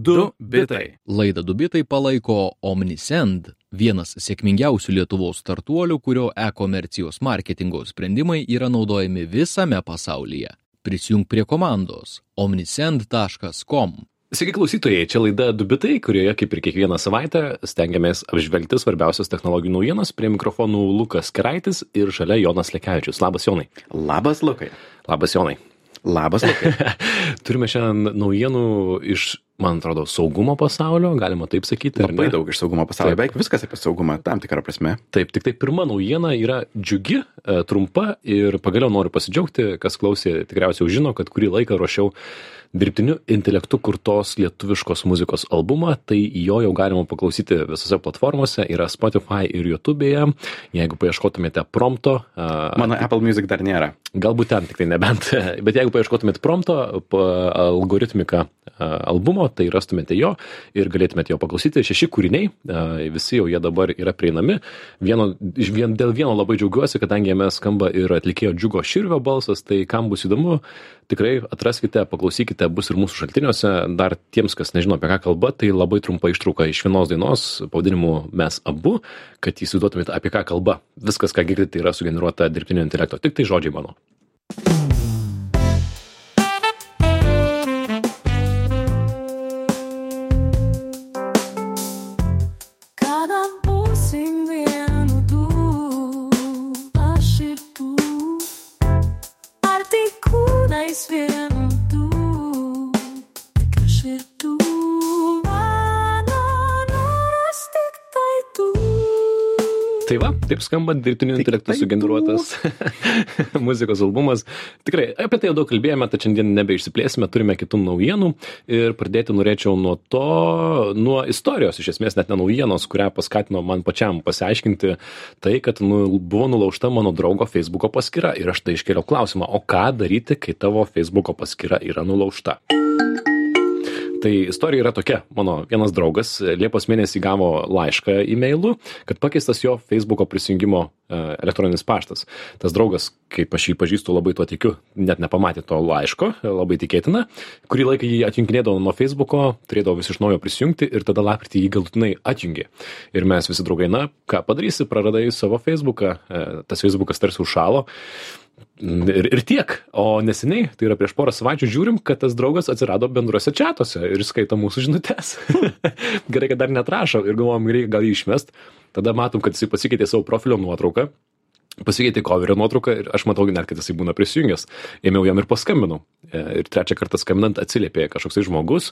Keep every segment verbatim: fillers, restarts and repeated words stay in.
Du bitai. Laidą Du bitai palaiko Omnisend, vienas sėkmingiausių Lietuvos startuolių, kurio e-komercijos marketingo sprendimai yra naudojami visame pasaulyje. Prisijung prie komandos omnisend taškas com. Sveiki klausytojai, čia laida Du bitai, kurioje kaip ir kiekvieną savaitę stengiamės apžvelgti svarbiausias technologijų naujienas. Prie mikrofonų Lukas Keraitis ir šalia Jonas Lekevičius. Labas, Jonai. Labas, Lukai. Labas, Jonai. Labas, Lukai. Turime šiandien naujienų iš, man atrodo, saugumo pasaulio, galima taip sakyti. Labai daug iš saugumo pasaulio, beveik viskas apie saugumą, tam tikrą prasme. Taip, tik tai pirma naujiena yra džiugi, trumpa ir pagaliau noriu pasidžiaugti, kas klausė, tikriausiai jau žino, kad kurį laiką ruošiau dirbtiniu intelektu kurtos lietuviškos muzikos albumą, tai jo jau galima paklausyti visose platformose, yra Spotify ir YouTube'e, jeigu paieškotumėte prompto. Mano Apple Music dar nėra. Galbūt ten, tik tai nebent, bet jeigu paieškotumėte prompto, algoritmika albumo, tai rastumėte jo ir galėtumėte jo paklausyti. Šeši kūriniai, visi jau jie dabar yra prieinami. Vieno, vien, dėl vieno labai džiaugiuosi, kadangi jame skamba ir atlikėjo Džiugo Širvio balsas, tai kam bus įdomu, tikrai atraskite, paklausykite, bus ir mūsų šaltiniuose. Dar tiems, kas nežino apie ką kalba, tai labai trumpa ištrauka iš vienos dainos, pavadinimu Mes abu, kad įsivaizduotumėte apie ką kalba. Viskas, ką girdite, yra sugeneruota dirbtinio intelekto, tik tai žodžiai mano. Tai va, taip skamba dirbtiniu intelektu sugeneruotas muzikos albumas. Tikrai, apie tai jau daug kalbėjome, tad šiandien nebeišsiplėsime, turime kitų naujienų ir pradėti norėčiau nuo to, nuo istorijos, iš esmės net ne naujienos, kurią paskatino man pačiam pasiaiškinti tai, kad nu, buvo nulaužta mano draugo Facebooko paskyra ir aš tai iškėliau klausimą, o ką daryti, kai tavo Facebooko paskyra yra nulaužta? Tai istorija yra tokia. Mano vienas draugas Liepos mėnesį gavo laišką e-mailu, kad pakeistas jo Facebooko prisijungimo elektroninis paštas. Tas draugas, kaip aš jį pažįstu, labai tuo tikiu, net nepamatė to laiško, labai tikėtina. Kurį laiką jį atjunginėdavo nuo Facebooko, turėdavo vis iš naujo prisijungti ir tada lapkritį jį galutinai atjungė. Ir mes visi draugai, na, ką padarysi, praradai savo Facebooką, tas Facebookas tarsi užšalo. Ir, ir tiek, o neseniai, tai yra prieš porą savaičių, žiūrim, kad tas draugas atsirado bendruose čatuose ir skaito mūsų žinutes. Gerai, kad dar netrašo ir galvojom, reikia gal jį išmest. Tada matom, kad jisai pasikeitė savo profilio nuotrauką, pasikeitė coverio nuotrauką ir aš matau net, kad jisai būna prisijungęs. Ėmiau jam ir paskambinau. Ir trečią kartą skambinant atsiliepė kažkoksai žmogus.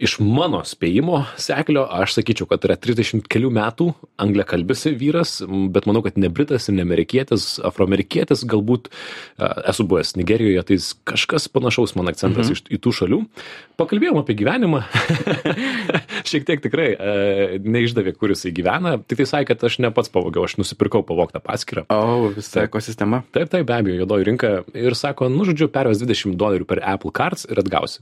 Iš mano spėjimo seklio aš sakyčiau, kad yra trisdešimt kelių metų angliakalbis vyras, bet manau, kad ne britas ir ne amerikietis, afroamerikietis, galbūt esu buvęs Nigerijoje, tai kažkas panašaus man akcentas mhm. iš į tų šalių. Pakalbėjom apie gyvenimą. Šiek tiek tikrai neišdavė, kur jisai gyvena. Tik tai sakė, kad aš ne pats pavogiau, aš nusipirkau pavogtą paskyrą. O, visa ekosistema. Taip, taip, be abejo, juodoji rinka. Ir sako, nu, žodžiu, perves dvidešimt dolerių per Apple Cards ir atgausi.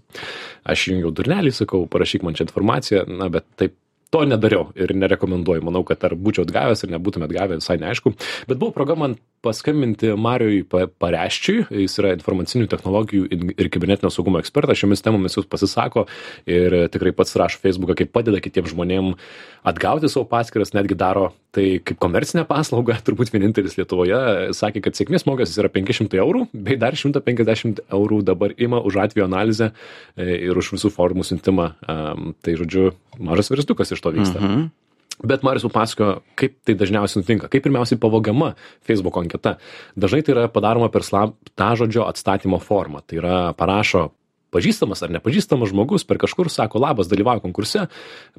Aš jungiau durnelį, sakau, parašyk man čia informaciją, na, bet taip, to nedariau ir nerekomenduoju. Manau, kad ar būčiau atgavęs ir nebūtume atgavę, visai neaišku. Bet buvo proga man paskambinti Mariui Pareščiui. Jis yra informacinių technologijų ir kibernetinio saugumo ekspertas. Šiomis temomis jis pasisako ir tikrai pats rašo Facebooką, kaip padeda kitiems žmonėm atgauti savo paskyras, netgi daro tai kaip komercinę paslaugą, turbūt vienintelis Lietuvoje. Sakė, kad sėkmės mokestis yra penki šimtai eurų, bei dar šimtas penkiasdešimt eurų dabar ima už atvejo analizę ir už visų formų siuntimą. Tai, žodžiu, mažas versliukas iš to vyksta. Mhm. Bet Marius papasakojo, kaip tai dažniausiai nutinka, kaip pirmiausiai pavogiama Facebook anketa. Dažnai tai yra padaroma per slaptažodžio atstatymo formą. Tai yra parašo pažįstamas ar nepažįstamas žmogus per kažkur sako, labas, dalyvauju konkurse,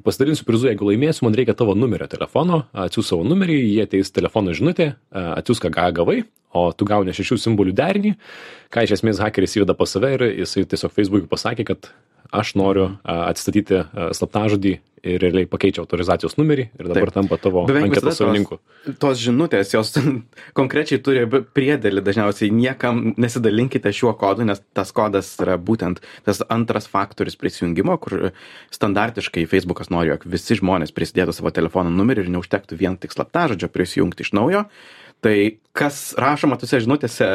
pasidalinsiu prizu, jeigu laimėsiu, man reikia tavo numerio telefono, atsiųs savo numerį, jie ateis telefono žinutė, atsiųs ką gavai, o tu gauni šešių simbolių derinį, ką iš esmės hakeris įveda pas save ir jisai tiesiog Facebook'ui pasakė, kad aš noriu atstatyti slaptažodį ir realiai pakeičia autorizacijos numerį ir dabar Taip. Tampa tavo anketos savininku. Tos, tos žinutės, jos konkrečiai turi priedėlį, dažniausiai niekam nesidalinkite šiuo kodu, nes tas kodas yra būtent tas antras faktorius prisijungimo, kur standartiškai Facebookas nori, jog visi žmonės prisidėtų savo telefono numerį ir neužtektų vien tik slaptažodžio prisijungti iš naujo. Tai kas rašoma tose žinutėse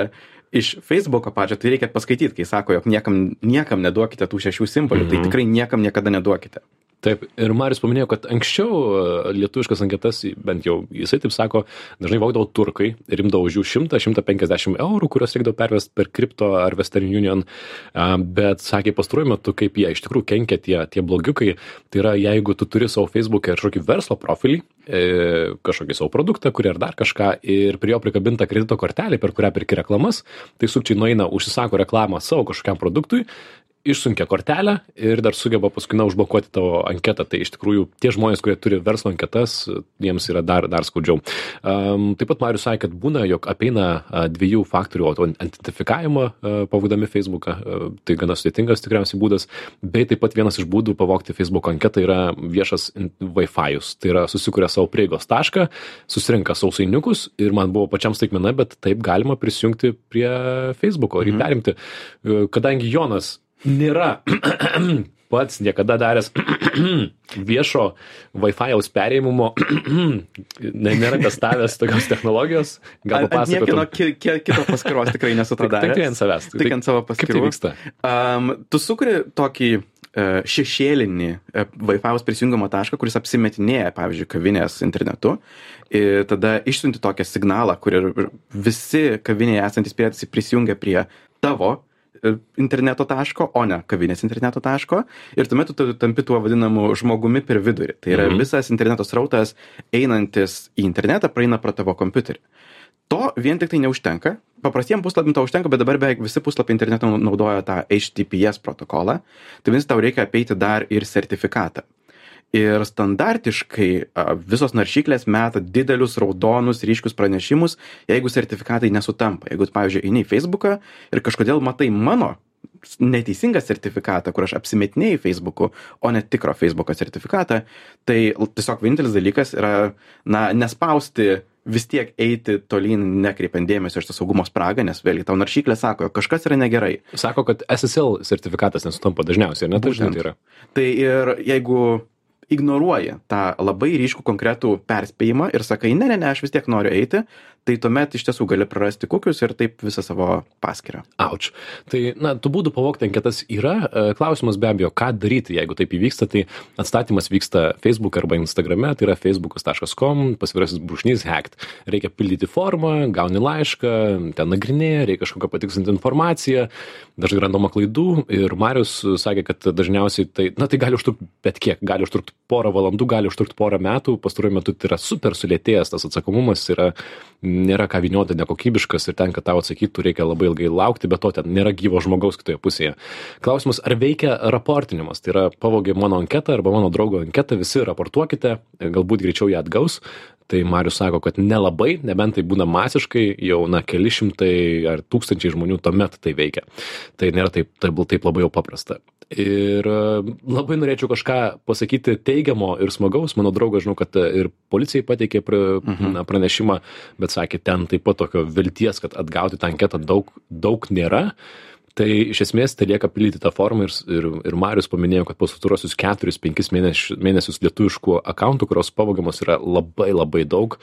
iš Facebooko pačio, tai reikia paskaityti, kai sako, jog niekam, niekam neduokite tų šešių simbolių, mm-hmm. tai tikrai niekam niekada neduokite. Taip, ir Marius paminėjo, kad anksčiau lietuviškas anketas, bent jau jisai taip sako, dažnai vogdavo turkai ir imdavo už jų šimtą šimtą penkiasdešimt eurų, kurios reikdavo pervesti per Crypto ar Western Union, bet sakė pastaruoju metu, kaip jie iš tikrųjų kenkia tie, tie blogiukai, tai yra jeigu tu turi savo Facebook'e kažkokį verslo profilį, kažkokį savo produktą, kurį ar dar kažką ir prie jo prikabinta kredito kortelė, per kurią pirki reklamas, tai sukčiai nueina, užsisako reklamą savo kažkokiam produktui, išsunkia kortelę ir dar sugeba paskui na užblokuoti tavo anketą. Tai iš tikrųjų tie žmonės, kurie turi verslo anketas, jiems yra dar, dar skaudžiau. Um, taip pat Marius sakė, kad būna, jog apeina uh, dviejų faktorių identifikavimą uh, pavogdami Facebooką. Uh, tai gana sudėtingas tikriausiai būdas. Bei taip pat vienas iš būdų pavogti Facebook anketą yra viešas Wi-Fi'us. Tai yra susikuria savo prieigos tašką, susirinka sausainiukus ir man buvo pačiam staigmena, bet taip galima prisijungti prie Facebooko ir jį perimti. Uh, kadangi Jonas nėra pats niekada daręs viešo Wi-Fi'aus perėmimo, nėra testavęs tokios technologijos, gal papasakotum. Ant niekino ki, kito paskiros tikrai nesu to daręs. Tik ant savęs. Tik ant savo paskirų. Kaip tai vyksta? Um, tu sukuri tokį uh, šešėlinį uh, Wi-Fi'aus prisijungimo tašką, kuris apsimetinėja, pavyzdžiui, kavinės internetu. Ir tada išsiunti tokią signalą, kur visi kavinėje esantis prietaisai prisijungia prie tavo interneto taško, o ne kavinės interneto taško. Ir tuomet tu tampi tuo vadinamu žmogumi per vidurį. Tai yra mm-hmm. visas interneto srautas einantis į internetą praeina pro tavo kompiuterį. To vien tik tai neužtenka. Paprastiem puslapim to užtenka, bet dabar beveik visi puslapiai interneto naudoja tą H T T P S protokolą. Tai vis tau reikia apeiti dar ir sertifikatą. Ir standartiškai visos naršyklės meta didelius raudonus ryškius pranešimus, jeigu sertifikatai nesutampa. Jeigu, pavyzdžiui, eini į Facebooką ir kažkodėl matai mano neteisingą sertifikatą, kur aš apsimetinėjau Facebook'u, o ne tikro Facebook'o sertifikatą, tai tiesiog vienintelis dalykas yra, na, nespausti vis tiek eiti tolyn, nekreipiant dėmesio iš tą saugumo spragą, nes vėlgi tau naršyklė sako, kažkas yra negerai. Sako, kad S S L sertifikatas nesutampa dažniausiai, ar ne? Būtent. Tai yra. Tai ir jeigu ignoruoji tą labai ryškų konkretų perspėjimą ir sakai, ne, ne, ne, aš vis tiek noriu eiti, tai tuomet iš tiesų gali prarasti kukius ir taip visą savo paskyrą. Auč. Tai, na, tų būdų pavogti anketas yra. Klausimas be abejo, ką daryti, jeigu taip įvyksta, tai atstatymas vyksta Facebook arba Instagrame, tai yra facebookas taškas com, pasvirasis brūkšnys hacked. Reikia pildyti formą, gauni laišką, ten nagrinėja, reikia kažkokią patikslinti informaciją, dažnai randama klaidų ir Marius sakė, kad dažniausiai tai, na, tai gali užtrukti bet kiek, gali užtrukti porą valandų, gali užtrukti porą metų, pastaruoju metu tai yra super sulėtėjęs tas atsakomumas, yra, nėra ką vynioti, nekokybiškas ir ten, kad tau atsakytų, reikia labai ilgai laukti, bet to ten nėra gyvo žmogaus kitoje pusėje. Klausimas, ar veikia raportinimas, tai yra pavogė mano anketą arba mano draugo anketą, visi raportuokite, galbūt greičiau ją atgaus. Tai Marius sako, kad nelabai, nebent tai būna masiškai, jau na, keli šimtai ar tūkstančiai žmonių tuomet tai veikia. Tai nėra taip, taip, taip labai jau paprasta. Ir labai norėčiau kažką pasakyti teigiamo ir smagaus. Mano draugas, žinau, kad ir policijai pateikė pra, mhm. na, pranešimą, bet sakė, ten taip pat tokio vilties, kad atgauti tą anketą daug, daug nėra. Tai iš esmės tai lieka pildyti tą formą ir, ir, ir Marius paminėjo, kad pastaruosius keturis penkis mėnesius, mėnesius lietuviškų akauntų, kurios pavogiamos yra labai labai daug,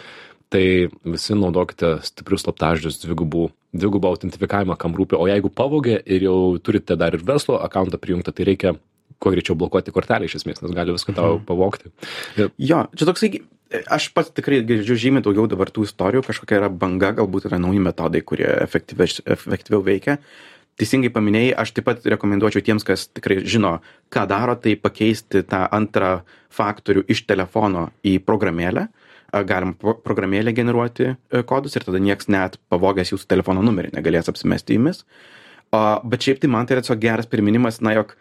tai visi naudokite stiprius slaptažodžius, dvigubų, dvigubą autentifikavimą, kam rūpi. O jeigu pavogė ir jau turite dar ir verslo akauntą prijungtą, tai reikia kuo greičiau blokuoti kortelę iš esmės, nes gali viską tau pavogti. Ir... Jo, čia toksai, aš pats tikrai girdžiu žymiai daugiau dabar tų istorijų, kažkokia yra banga, galbūt yra nauji metodai, kurie efektyviau, efektyviau veikia. Teisingai paminėjai, aš taip pat rekomenduočiau tiems, kas tikrai žino, ką daro, tai pakeisti tą antrą faktorių iš telefono į programėlę. Galim programėlę generuoti kodus ir tada nieks net pavogęs jūsų telefono numerį negalės apsimesti jumis. Bet šiaip tai man tai yra tiesiog geras priminimas, na, jog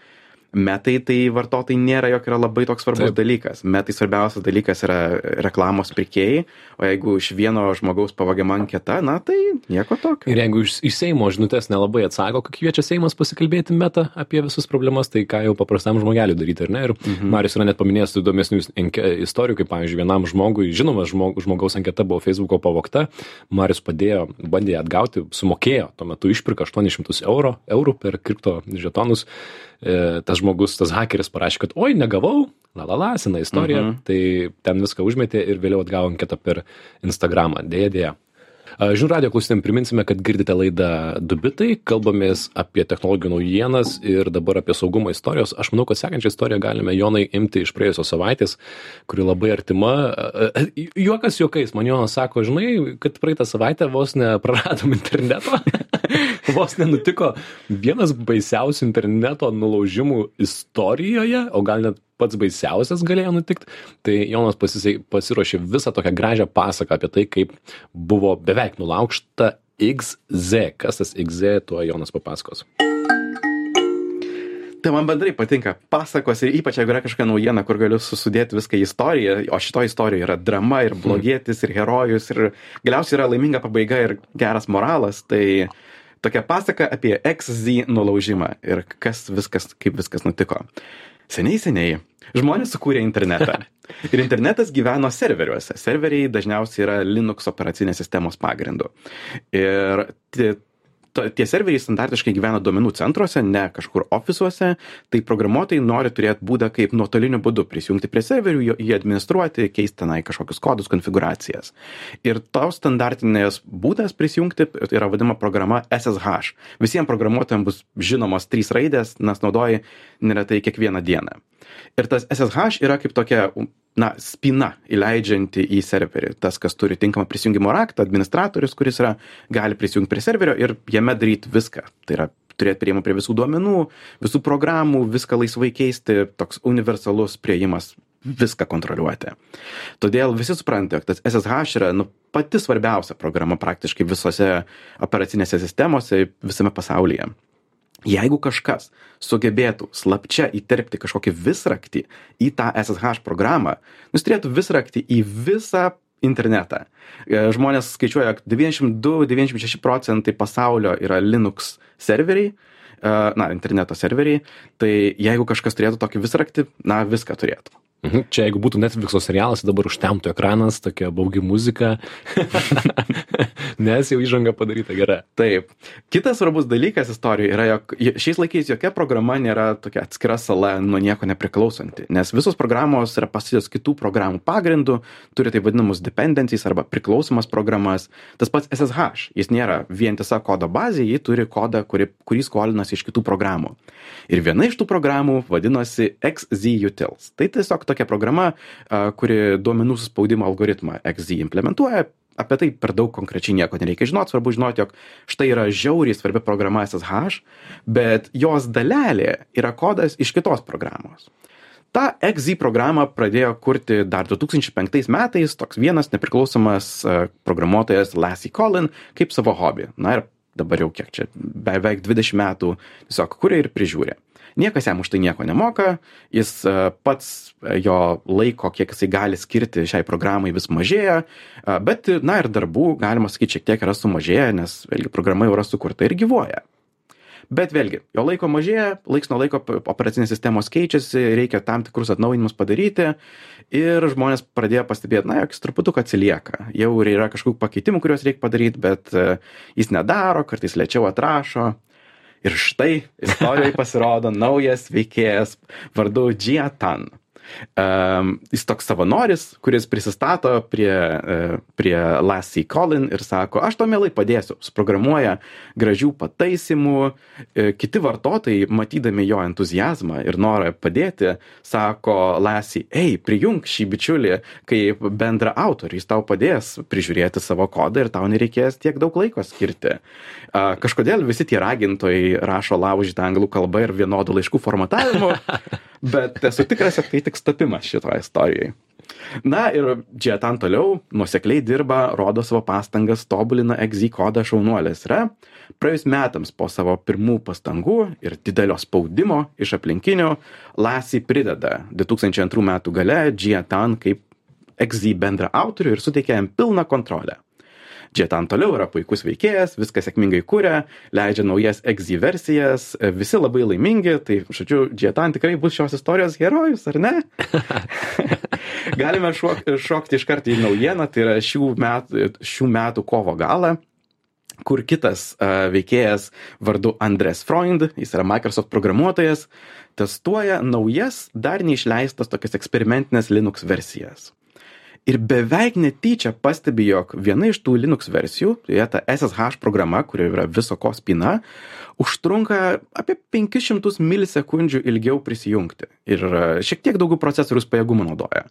metai tai vartotojai nėra, jog yra labai toks svarbus Taip. dalykas. Metai svarbiausias dalykas yra reklamos pirkėjai, o jeigu iš vieno žmogaus pavogiama anketa, na tai nieko tokio. Ir jeigu iš, iš Seimo žinutės nelabai atsako, kai kviečia Seimas pasikalbėti metą apie visus problemas, tai ką jau paprastam žmogeliui daryti, ar ne? Ir mhm. Marius yra net paminėjęs įdomesnių istorijų, kaip pavyzdžiui, vienam žmogui, žinomas žmog, žmogaus anketa buvo Facebooko pavogta, Marius padėjo, bandė atgauti, sumokėjo, tuo metu išpirka aštuonis šimtus eurų, eurų per kripto žetonus. E, tas žmogus, tas hakeris parašė, kad oi, negavau, la la la, sena istorija, uh-huh. tai ten viską užmetė ir vėliau atgavo anketą per Instagramą. Dėja, dėja. Žinių radijo klausytėm priminsime, kad girdite laidą Du bitai, kalbamės apie technologijų naujienas ir dabar apie saugumo istorijos. Aš manau, kad sekančią istoriją galime, Jonai, imti iš praėjusios savaitės, kuri labai artima. Juokas juokais, man Jonas sako, žinai, kad praeitą savaitę vos nepraradom interneto. Vos nenutiko vienas baisiausių interneto nulaužimų istorijoje, o gal net pats baisiausias galėjo nutikti. Tai Jonas pasisai, pasiruošė visą tokią gražią pasaką apie tai, kaip buvo beveik nulaužta X Z. Kas tas X Z, tuo Jonas papasakos. Tai man bendrai patinka pasakos ir ypač jeigu yra kažkokia naujiena, kur galiu susudėti viską į istoriją, o šito istorija yra drama ir blogietis ir herojus ir galiausiai yra laiminga pabaiga ir geras moralas, tai tokia pasaka apie X Z nulaužimą ir kas viskas, kaip viskas nutiko. Seniai, seniai žmonės sukūrė internetą. Ir internetas gyveno serveriuose. Serveriai dažniausiai yra Linux operacinės sistemos pagrindu. Ir tie, tie serveriai standartiškai gyvena duomenų centruose, ne kažkur ofisuose. Tai programuotojai nori turėti būdą, kaip nuotoliniu būdu prisijungti prie serverių, jį administruoti, keisti tenai kažkokius kodus, konfiguracijas. Ir tos standartinės būdas prisijungti yra vadinama programa S S H. Visiems programuotojams bus žinomos trys raidės, nes naudoji neretai kiekvieną dieną. Ir tas S S H yra kaip tokia, na, spina įleidžianti į serverį. Tas, kas turi tinkamą prisijungimo raktą, administratorius, kuris yra, gali prisijungti prie serverio ir jame daryti viską. Tai yra turėti priėjimą prie visų duomenų, visų programų, viską laisvai keisti, toks universalus priėjimas viską kontroliuoti. Todėl visi supranta, kad tas S S H yra nu, pati svarbiausia programa praktiškai visose operacinėse sistemose visame pasaulyje. Jeigu kažkas sugebėtų slapčia įterpti kažkokį visraktį į tą S S H programą, jis turėtų visraktį į visą internetą. Žmonės skaičiuoja, kad devyniasdešimt du devyniasdešimt šeši procentai pasaulio yra Linux serveriai, na, interneto serveriai, tai jeigu kažkas turėtų tokį visraktį, na, viską turėtų. Mhm. Čia jeigu būtų Netflixo serialas, dabar užtemtų ekranas, tokia baugi muzika, nes jau įžanga padaryta gera. Taip. Kitas svarbus dalykas istorijoje yra, jog šiais laikais jokia programa nėra tokia atskira sala nuo nieko nepriklausanti, nes visos programos yra pastatytos kitų programų pagrindų, turi taip vadinamus dependencies arba priklausomas programas. Tas pats S S H, jis nėra vientisa kodo bazė, jį turi kodą, kurį, kurį skolinasi iš kitų programų. Ir viena iš tų programų vadinosi X Z Utils. Tai tiesiog tokia programa, kuri duomenų suspaudimo algoritmą X Z implementuoja. Apie tai per daug konkrečiai nieko nereikia žinoti, svarbu žinoti, jog štai yra žiauriai svarbi programa S S H, bet jos dalelė yra kodas iš kitos programos. Ta X Z programą pradėjo kurti dar du tūkstančiai penktais metais toks vienas nepriklausomas programuotojas Lasse Collin kaip savo hobį. Na ir dabar jau kiek čia, beveik dvidešimt metų tiesiog kuria ir prižiūri. Niekas jam už tai nieko nemoka, jis pats jo laiko, kiek jisai gali skirti šiai programai vis mažėja, bet, na ir darbų, galima sakyti, šiek tiek yra sumažėję, nes vėlgi programa jau yra sukurta ir gyvuoja. Bet vėlgi, jo laiko mažėja, laiks nuo laiko operacinės sistemos keičiasi, reikia tam tikrus atnaujinimus padaryti ir žmonės pradėjo pastebėti, na, jog jis truputuką atsilieka. Jau yra kažkokių pakeitimų, kuriuos reikia padaryti, bet jis nedaro, kartais lėčiau atrašo. Ir štai istorijoje pasirodo naujas veikėjas vardu Jia Tan. Um, jis toks savanoris, kuris prisistato prie, uh, prie Lasse Collin ir sako, aš to mielai padėsiu, suprogramuoja gražių pataisimų, uh, kiti vartotojai, matydami jo entuziazmą ir norą padėti, sako Lasse, ei, prijunk šį bičiulį kaip bendra autorių, jis tau padės prižiūrėti savo kodą ir tau nereikės tiek daug laiko skirti. Uh, kažkodėl visi tie ragintojai rašo laužytą anglų kalbą ir vienodų laiškų formatavimu, bet esu tikras, kad tai tik stapimas šitoje istorijoje. Na ir Jia Tan toliau nuosekliai dirba, rodo savo pastangas, tobulina X Z kodą šaunuolės. Yra praėjus metams po savo pirmų pastangų ir didelio spaudimo iš aplinkinių, Lasse prideda du tūkstančiai antrų metų gale Jia Tan kaip X Z bendra autorių ir suteikia jam pilną kontrolę. Jia Tan toliau yra puikus veikėjas, viską sėkmingai kuria, leidžia naujas X Z versijas, visi labai laimingi, tai, žodžiu, Jia Tan tikrai bus šios istorijos herojus, ar ne? Galime šok, šokti iš karto į naujieną, tai yra šių metų, šių metų kovo galą, kur kitas uh, veikėjas vardu Andres Freund, jis yra Microsoft programuotojas, testuoja naujas, dar neišleistas tokias eksperimentinės Linux versijas. ir beveik netyčia pastebi, jog viena iš tų Linux versijų, tai ta S S H programa, kuri yra viso ko spyna, užtrunka apie penkis šimtus milisekundžių ilgiau prisijungti ir šiek tiek daugiau procesorius pajėgumų naudoja.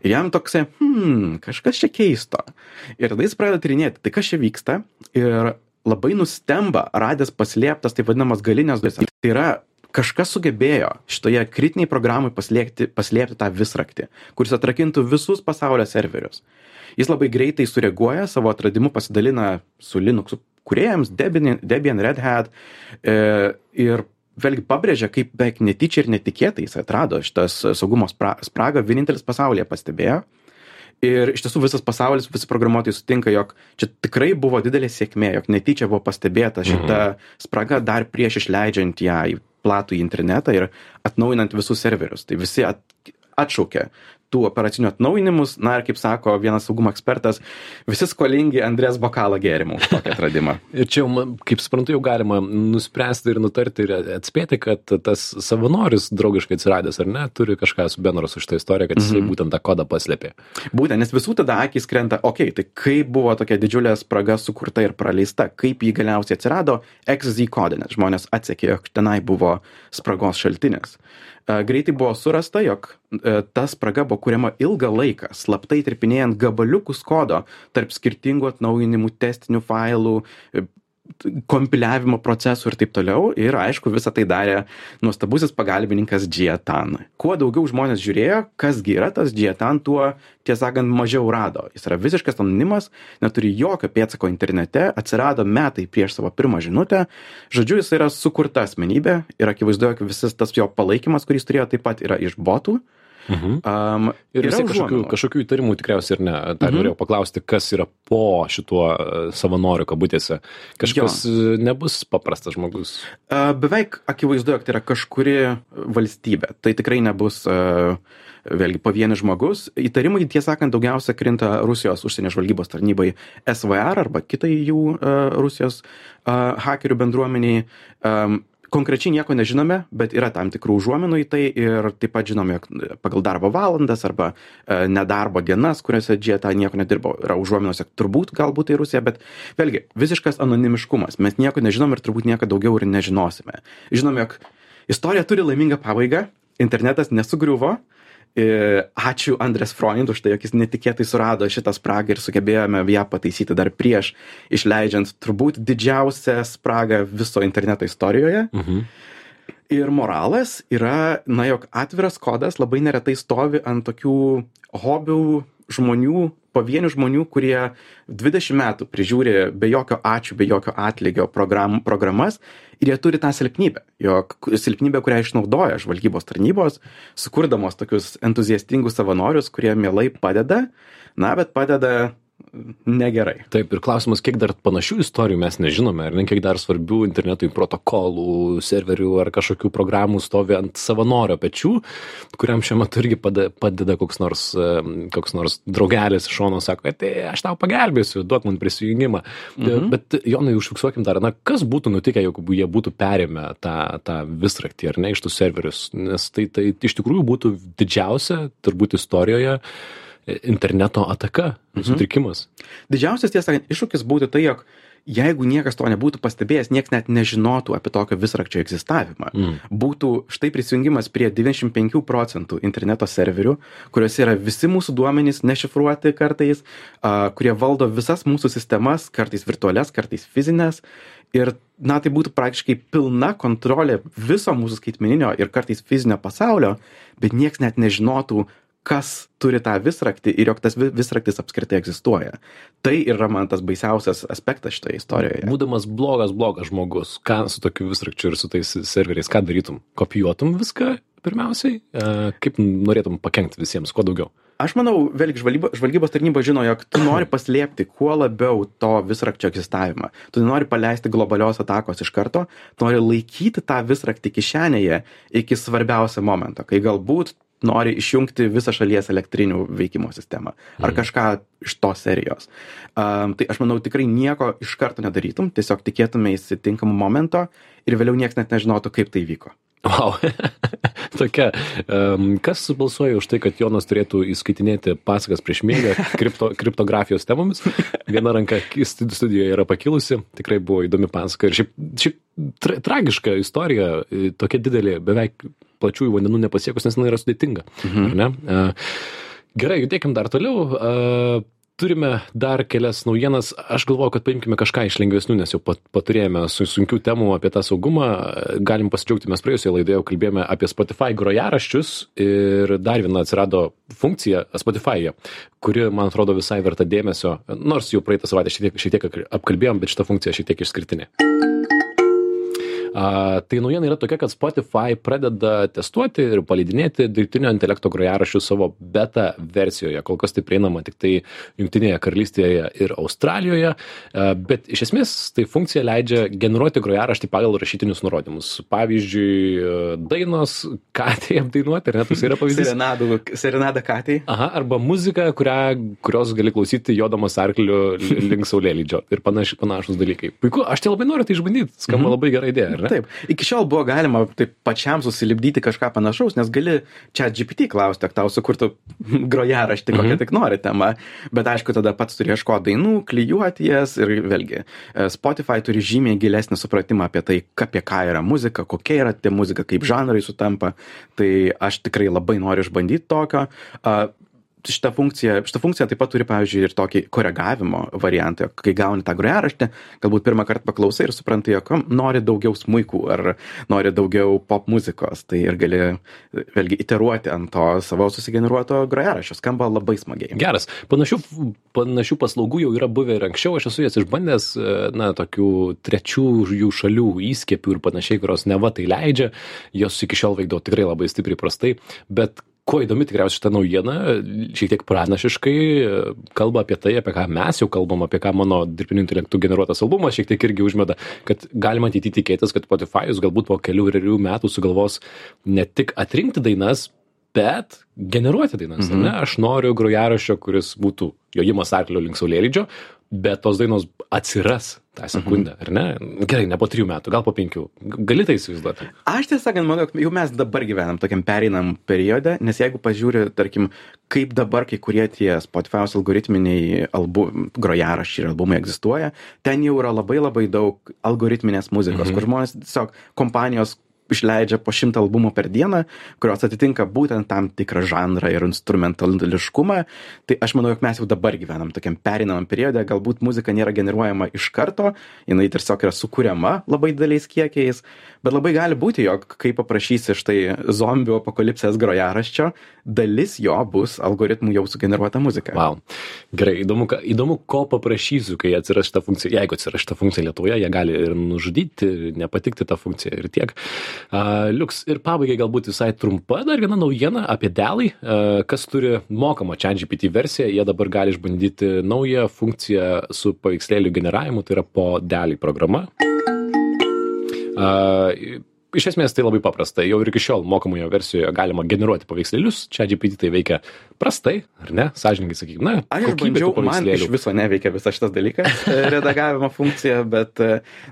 Ir jam toksai, hmm, kažkas čia keisto. Ir tada jis pradeda tyrinėti, tai kas čia vyksta, ir labai nustemba, radęs paslėptas taip vadinamas galinės dujas. Tai yra, kažkas sugebėjo šitoje kritiniai programai paslėpti, paslėpti tą visraktį, kuris atrakintų visus pasaulio serverius. Jis labai greitai sureaguoja, savo atradimu pasidalina su Linux kūrėjams, Debian, Debian, Red Hat e, ir vėlgi pabrėžia, kaip beveik netyčia ir netikėtai jis atrado šitas saugumo spragą, vienintelis pasaulyje pastebėjo. Ir iš tiesų visas pasaulis, visi programuotojai sutinka, jog čia tikrai buvo didelė sėkmė, jog netyčia buvo pastebėta šita spraga dar prieš išleidžiant ją į platų internetą ir atnaujinant visus serverius. Tai visi at, atšaukė tų operacinių atnaujinimus, na ir kaip sako vienas saugumo ekspertas, visi skolingi Andrės bokalą gėrimų už tokį atradimą. Ir čia, jau, kaip suprantu, jau galima nuspręsti ir nutarti ir atspėti, kad tas savanoris draugiškai atsiradęs, ar ne, turi kažką su bendro su šitą istoriją, kad jisai mm-hmm. būtent tą kodą paslėpė. Būtent, nes visų tada akys krenta, okei, okay, tai kaip buvo tokia didžiulė spraga sukurta ir praleista, kaip jį galiausiai atsirado X Z kode, nes žmonės atsekė, jog tenai buvo spragos šaltinis. Greitai buvo surasta, jog ta spraga buvo kuriama ilgą laiką, slaptai tirpinėjant gabaliukus kodo tarp skirtingų atnaujinimų, testinių failų, kompiliavimo procesų ir taip toliau. Ir aišku, visą tai darė nuostabusis pagalbininkas Džietan. Kuo daugiau žmonės žiūrėjo, kasgi yra tas Džietan, tuo, tiesą sakant, mažiau rado. Jis yra visiškas anonimas, neturi jokio pėdsako internete, atsirado metai prieš savo pirmą žinutę. Žodžiu, jis yra sukurta asmenybė ir akivaizdu, jog visas tas jo palaikymas, kuris turėjo, taip pat yra iš botų. Mhm. Um, ir vis kažkokių, kažkokių įtarimų tikriausiai ir ne. Tai mhm. norėjau paklausti, kas yra po šituo savanoriu kabutėse. Kažkas jo. Nebus paprastas žmogus. Uh, beveik akivaizdu, jog tai yra kažkuri valstybė. Tai tikrai nebus uh, vėlgi pavienis žmogus. Įtarimai, tiesą sakant, daugiausia krinta Rusijos užsienio žvalgybos tarnybai S V R arba kitai jų uh, Rusijos uh, hakerių bendruomeniai. Um, Konkrečiai nieko nežinome, bet yra tam tikrų užuominų į tai ir taip pat žinome, jog pagal darbo valandas arba e, nedarbo dienas, kuriuose Džietan nieko nedirbo, yra užuominos, jog turbūt galbūt tai Rusija, bet vėlgi visiškas anonimiškumas. Mes nieko nežinom ir turbūt nieko daugiau ir nežinosime. Žinome, jog istorija turi laimingą pabaigą, internetas nesugriuvo. Ačiū Andrės Freund už tai, jog jis netikėtai surado šitą spragą ir sugebėjome ją pataisyti dar prieš išleidžiant turbūt didžiausią spragą viso interneto istorijoje. Mhm. Ir moralas yra, na, jog atviras kodas labai neretai stovi ant tokių hobių žmonių, pavienių žmonių, kurie dvidešimt metų prižiūri be jokio ačiū, be jokio atlygio program, programas ir jie turi tą silpnybę, jog silpnybę, kurią išnaudoja žvalgybos tarnybos, sukurdamos tokius entuziastingus savanorius, kurie mielai padeda, na, bet padeda negerai. Taip, ir klausimas, kiek dar panašių istorijų mes nežinome, ar ne, kiek dar svarbių internetui protokolų, serverių ar kažkokių programų stovi ant savanorio pečių, kuriam šiuo metu irgi padeda koks nors, koks nors draugelis iš šono, sako, tai aš tau pagelbėsiu, duok man prisijungimą. Mhm. Bet, Jonai, užfiksuokim dar, na, kas būtų nutikę, jeigu jie būtų perėmę tą, tą visraktį, ar ne, iš tų serverius, nes tai, tai iš tikrųjų būtų didžiausia, turbūt istorijoje, interneto ataka, mhm. sutrikimas. Didžiausias, tiesą sakant, iššūkis būtų tai, jog jeigu niekas to nebūtų pastebėjęs, niekas net nežinotų apie tokio visrakčio egzistavimą. Mm. Būtų štai prisijungimas prie devyniasdešimt penkių procentų interneto serverių, kuriuose yra visi mūsų duomenys nešifruoti kartais, uh, kurie valdo visas mūsų sistemas, kartais virtualias, kartais fizinės. Ir, na, tai būtų praktiškai pilna kontrolė viso mūsų skaitmeninio ir kartais fizinio pasaulio, bet niekas net nežinotų, kas turi tą visraktį ir jog tas visraktis apskritai egzistuoja. Tai yra man tas baisiausias aspektas šitoje istorijoje. Būdamas blogas, blogas žmogus, ką su tokiu visrakčiu ir su tais serveriais, ką darytum? Kopijuotum viską pirmiausiai? Kaip norėtum pakenkti visiems, kuo daugiau? Aš manau, vėlgi žvalgybos, žvalgybos tarnyba žino, jog tu nori paslėpti kuo labiau to visrakčio egzistavimą. Tu nori paleisti globalios atakos iš karto, tu nori laikyti tą visraktį kišenėje iki svarbiausio momento, kai galbūt nori išjungti visą šalies elektrinių veikimo sistemą ar mm. kažką iš tos serijos. Um, tai aš manau, tikrai nieko iš karto nedarytum, tiesiog tikėtume įsitinkamų momento ir vėliau niekas net nežinotų, kaip tai vyko. Wow. Tokia, um, kas balsuoja už tai, kad Jonas turėtų įskaitinėti pasakas prieš miegą kripto, kriptografijos temomis? Viena ranka studijoje yra pakilusi, tikrai buvo įdomi pasaka. Ir šiaip, šiaip tra tragiška istorija, tokia didelė, beveik plačiųjų vandenų nepasiekus, nes jinai yra sudėtinga. Mhm. Ar ne? Uh, gerai, judėkim dar toliau. Uh, Turime dar kelias naujienas. Aš galvoju, kad paimkime kažką iš lengvesnių, nes jau paturėjome su sunkių temų apie tą saugumą. Galim pasidžiaugti, mes praėjusioje laidoje jau kalbėjome apie Spotify grojaraščius ir dar viena atsirado funkcija Spotify'e, kuri, man atrodo, visai verta dėmesio. Nors jau praeitą savaitę šiek tiek, šiek tiek apkalbėjom, bet šita funkcija šiek tiek išskirtinė. Uh, tai naujiena yra tokia, kad Spotify pradeda testuoti ir paleidinėti dirbtinio intelekto grojaraščius savo beta versijoje. Kol kas tai prieinama tik tai Jungtinėje karalystėje ir Australijoje, uh, bet iš esmės tai funkcija leidžia generuoti grojaraštį pagal rašytinius nurodymus. Pavyzdžiui, dainos katei apdainuoti, ar ne, tas yra pavyzdys? Serenadų, serenada katei. Aha, arba muzika, kurią, kurios gali klausyti jodamas arkliu link saulėlydžio ir panaš, panašus dalykai. Puiku, aš tai labai noriu tai išbandyti, skamba mm-hmm. labai gera idėja. Taip, iki šiol buvo galima taip pačiam susilipdyti kažką panašaus, nes gali čia G P T klausti, ak tau sukurtų grojaraštį, kokią mm-hmm. tik nori temą, bet aišku, tada pats turi ieškoti dainų, klijuoti jas ir vėlgi, Spotify turi žymiai gilesnį supratimą apie tai, apie ką yra muzika, kokia yra tie muzika, kaip žanrai sutampa, tai aš tikrai labai noriu išbandyti tokio. Šita funkcija, šita funkcija taip pat turi, pavyzdžiui, ir tokį koregavimo variantą, kai gauni tą grojaraštį, galbūt pirmą kartą paklausai ir supranti, jog nori daugiau smuikų ar nori daugiau pop muzikos, tai ir gali vėlgi iteruoti ant to savo susigeneruoto grojaraščio, skamba labai smagiai. Geras, panašių, panašių paslaugų jau yra buvę ir anksčiau, aš esu jas išbandęs, na, tokių trečių jų šalių įskiepių ir panašiai, kurios neva tai leidžia, jos iki šiol veikdavo tikrai labai stipriai prastai, bet kuo įdomi tikriausiai šita naujiena, šiek tiek pranašiškai kalba apie tai, apie ką mes jau kalbam, apie ką mano dirbtiniu intelektu generuotas albumas šiek tiek irgi užmeda, kad galima ateityje tikėtis, kad Spotify'us galbūt po kelių rerių metų sugalvos ne tik atrinkti dainas, bet generuoti dainas. Mm-hmm. Ne? Aš noriu grojaraščio, kuris būtų jojimas arklio link saulėlydžio, bet tos dainos atsiras tą sekundę, mm-hmm. ar ne? Gerai, ne po trijų metų, gal po penkių. Gali tai įsivaizduoti? Aš tiesą sakant, manau, jau mes dabar gyvenam tokiam pereinam periode, nes jeigu pažiūri, tarkim, kaip dabar kai kurie tie Spotify'os algoritminiai album, grojaraščiai ir albumai egzistuoja, ten jau yra labai labai daug algoritminės muzikos, mm-hmm. kur žmonės tiesiog kompanijos išleidžia po šimtą albumų per dieną, kurios atitinka būtent tam tikrą žanrą ir instrumentališkumą. Tai aš manau, jog mes jau dabar gyvenam tokiam pereinamam periode, galbūt muzika nėra generuojama iš karto, jinai tiesiog yra sukuriama labai dideliais kiekiais, bet labai gali būti, jog kai paprašysi štai zombių apokalipsės grojaraščio, dalis jo bus algoritmų jau sugeneruota muzika. Wow. Gerai, įdomu, įdomu, ko paprašysiu, kai atsiras šita funkcija. Jeigu atsiras šita funkcija Lietuvoje, jie gali ir nužudyti, nepatikti tą funkciją ir tiek. Uh, liuks, ir pabaigai galbūt visai trumpa dar viena naujiena apie Dall-į, uh, kas turi mokamą ChatGPT versiją, jie dabar gali išbandyti naują funkciją su paveikslėlių generavimu, tai yra po Dall-į programa. Uh, Iš esmės tai labai paprasta, jau ir iki šiol mokamojo versijoje galima generuoti paveikslėlius, ChatGPT tai veikia prastai, ar ne, sąžininkai sakykime, na, aš bandžiau, man iš viso neveikia visas šitas dalykas, redagavimo funkcija, bet,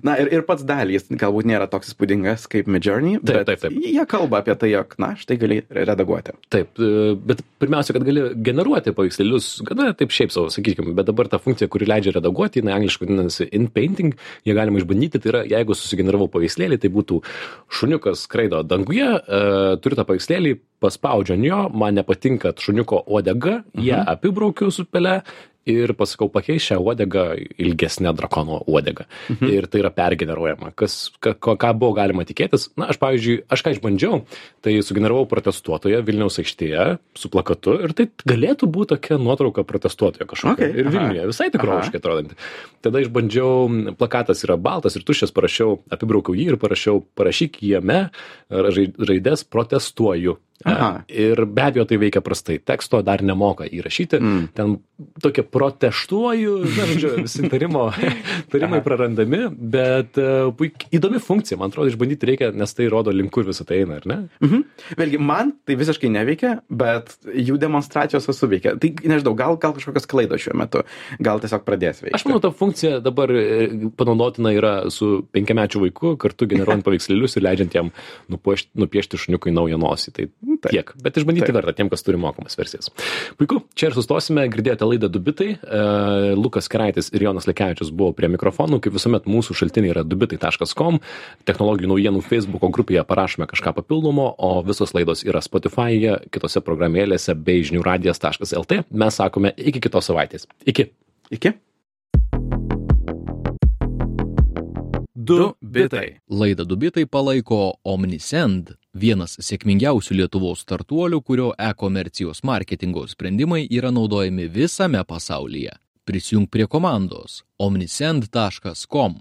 na, ir, ir pats Dall-ys galbūt nėra toks įspūdingas kaip Midjourney, bet taip, taip, taip. Jie kalba apie tai, jog, na, štai gali redaguoti. Taip, bet pirmiausia, kad gali generuoti paveikslėlius, gana taip šiaip savo, sakykime, bet dabar ta funkcija, kuri leidžia redaguoti, jinai angliškai vadinasi in-painting, jie galima išbandyti, tai yra, jeigu susigeneravau paveikslėlį, tai būtų šuniukas skraido danguje, e, turiu tą paveikslėlį, paspaudžiu ant jo, man nepatinka šuniuko uodega, mhm. ją apibraukiu su pele ir pasakau pakeis šią uodegą ilgesnę drakono uodegą. Mhm. Ir tai yra pergeneruojama. Kas, ka, ką buvo galima tikėtis? Na, aš pavyzdžiui, aš ką išbandžiau, tai sugeneravau protestuotoją Vilniaus aikštėje su plakatu ir tai galėtų būti tokia nuotrauka protestuotojo kažkokia. Okay. Ir Vilniuje, visai tikroviškai atrodanti. Tada išbandžiau, plakatas yra baltas ir tuščias, parašiau, apibraukiau jį ir parašiau, parašyk jame raidės protestuoju. Aha. Ir be abejo tai veikia prastai. Teksto dar nemoka įrašyti. Mm. Ten tokie protestuoju, na, žodžiu, visi tarimo, tarimai prarandami, bet uh, puik, įdomi funkcija, man atrodo, išbandyti reikia, nes tai rodo link kur visą tai eina, ar ne? Mhm. Vėlgi, man tai visiškai neveikia, bet jų demonstracijos suveikia. Tai nežinau, gal, gal kažkokios klaidos šiuo metu, gal tiesiog pradės veikti. Aš manau, ta funkcija dabar panaudotina yra su penkiamečiu vaiku, kartu generuojant paveikslėlius ir leidžiant jam nupiešti, nupiešti šuniukui naują nosį. Tai taip, tiek, bet išbandyti taip verta tiem, kas turi mokamas versijas. Puiku, čia ir sustosime, girdėjote laidą du bitai. Uh, Lukas Keraitis ir Jonas Lekevičius buvo prie mikrofonų, kaip visuomet mūsų šaltiniai yra du bitai taškas com, technologijų naujienų Facebooko grupėje parašome kažką papildomo, o visos laidos yra Spotify'e, kitose programėlėse bei žinių radijas taškas lt. Mes sakome iki kitos savaitės. Iki. Iki. Du bitai. Laidą du bitai palaiko Omnisend, vienas sėkmingiausių Lietuvos startuolių, kurio e-komercijos marketingo sprendimai yra naudojami visame pasaulyje. Prisijunk prie komandos omnisend taškas com.